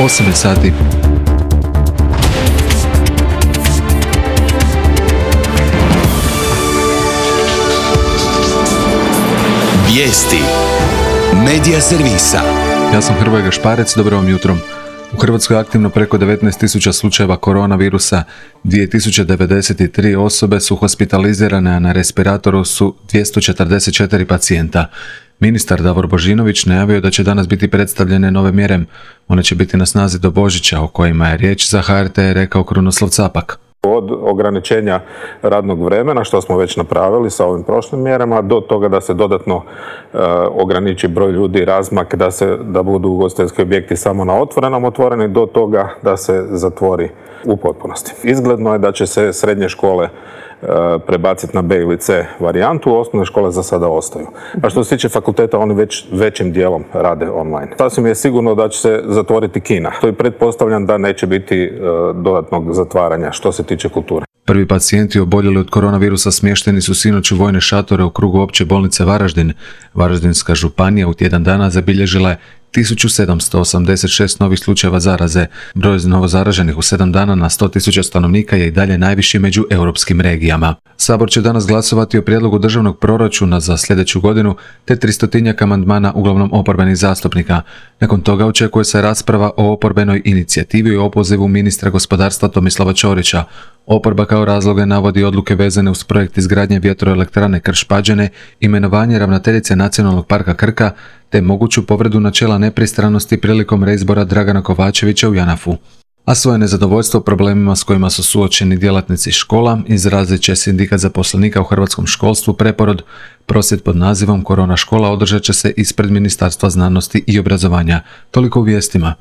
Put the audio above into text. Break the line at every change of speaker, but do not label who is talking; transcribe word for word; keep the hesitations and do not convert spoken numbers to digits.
osam sati.
Vijesti Medija servisa.
Ja sam Hrvoje Gašparec, dobro vam jutro. U Hrvatskoj je aktivno preko devetnaest tisuća slučajeva koronavirusa, dvije tisuće devedeset tri osobe su hospitalizirane, a na respiratoru su dvjesto četrdeset četiri pacijenta. Ministar Davor Božinović najavio da će danas biti predstavljene nove mjere. One će biti na snazi do Božića, o kojima je riječ za H R T rekao Krunoslav Capak.
Od ograničenja radnog vremena, što smo već napravili sa ovim prošlim mjerama, do toga da se dodatno e, ograniči broj ljudi, razmak, da, se, da budu ugostiteljski objekti samo na otvorenom otvoreni, do toga da se zatvori u potpunosti. Izgledno je da će se srednje škole e, prebaciti na B ili C varijantu, osnovne škole za sada ostaju. A što se tiče fakulteta, oni već većim dijelom rade online. Sasvim je sigurno da će se zatvoriti kina. To je pretpostavljam da neće biti e, dodatnog zatvaranja što se tiče kulture.
Prvi pacijenti oboljeli od koronavirusa smješteni su sinoć u vojne šatore u krugu opće bolnice Varaždin. Varaždinska županija u tjedan dana zabilježila je tisuću sedamsto osamdeset šest novih slučajeva zaraze. Broj novozaraženih u sedam dana na sto tisuća stanovnika je i dalje najviši među europskim regijama. Sabor će danas glasovati o prijedlogu državnog proračuna za sljedeću godinu te tristotinjak amandmana uglavnom oporbenih zastupnika. Nakon toga očekuje se rasprava o oporbenoj inicijativi i opozivu ministra gospodarstva Tomislava Ćorića. Oporba kao razloge navodi odluke vezane uz projekt izgradnje vjetroelektrane Krš-Pađene, imenovanje ravnateljice Nacionalnog parka Krka te moguću povredu načela nepristranosti prilikom reizbora Dragana Kovačevića u JANAF-u. A svoje nezadovoljstvo problemima s kojima su suočeni djelatnici škola izrazit će Sindikat zaposlenika u hrvatskom školstvu Preporod. Prosvjed pod nazivom Korona škola održat će se ispred Ministarstva znanosti i obrazovanja. Toliko u vijestima.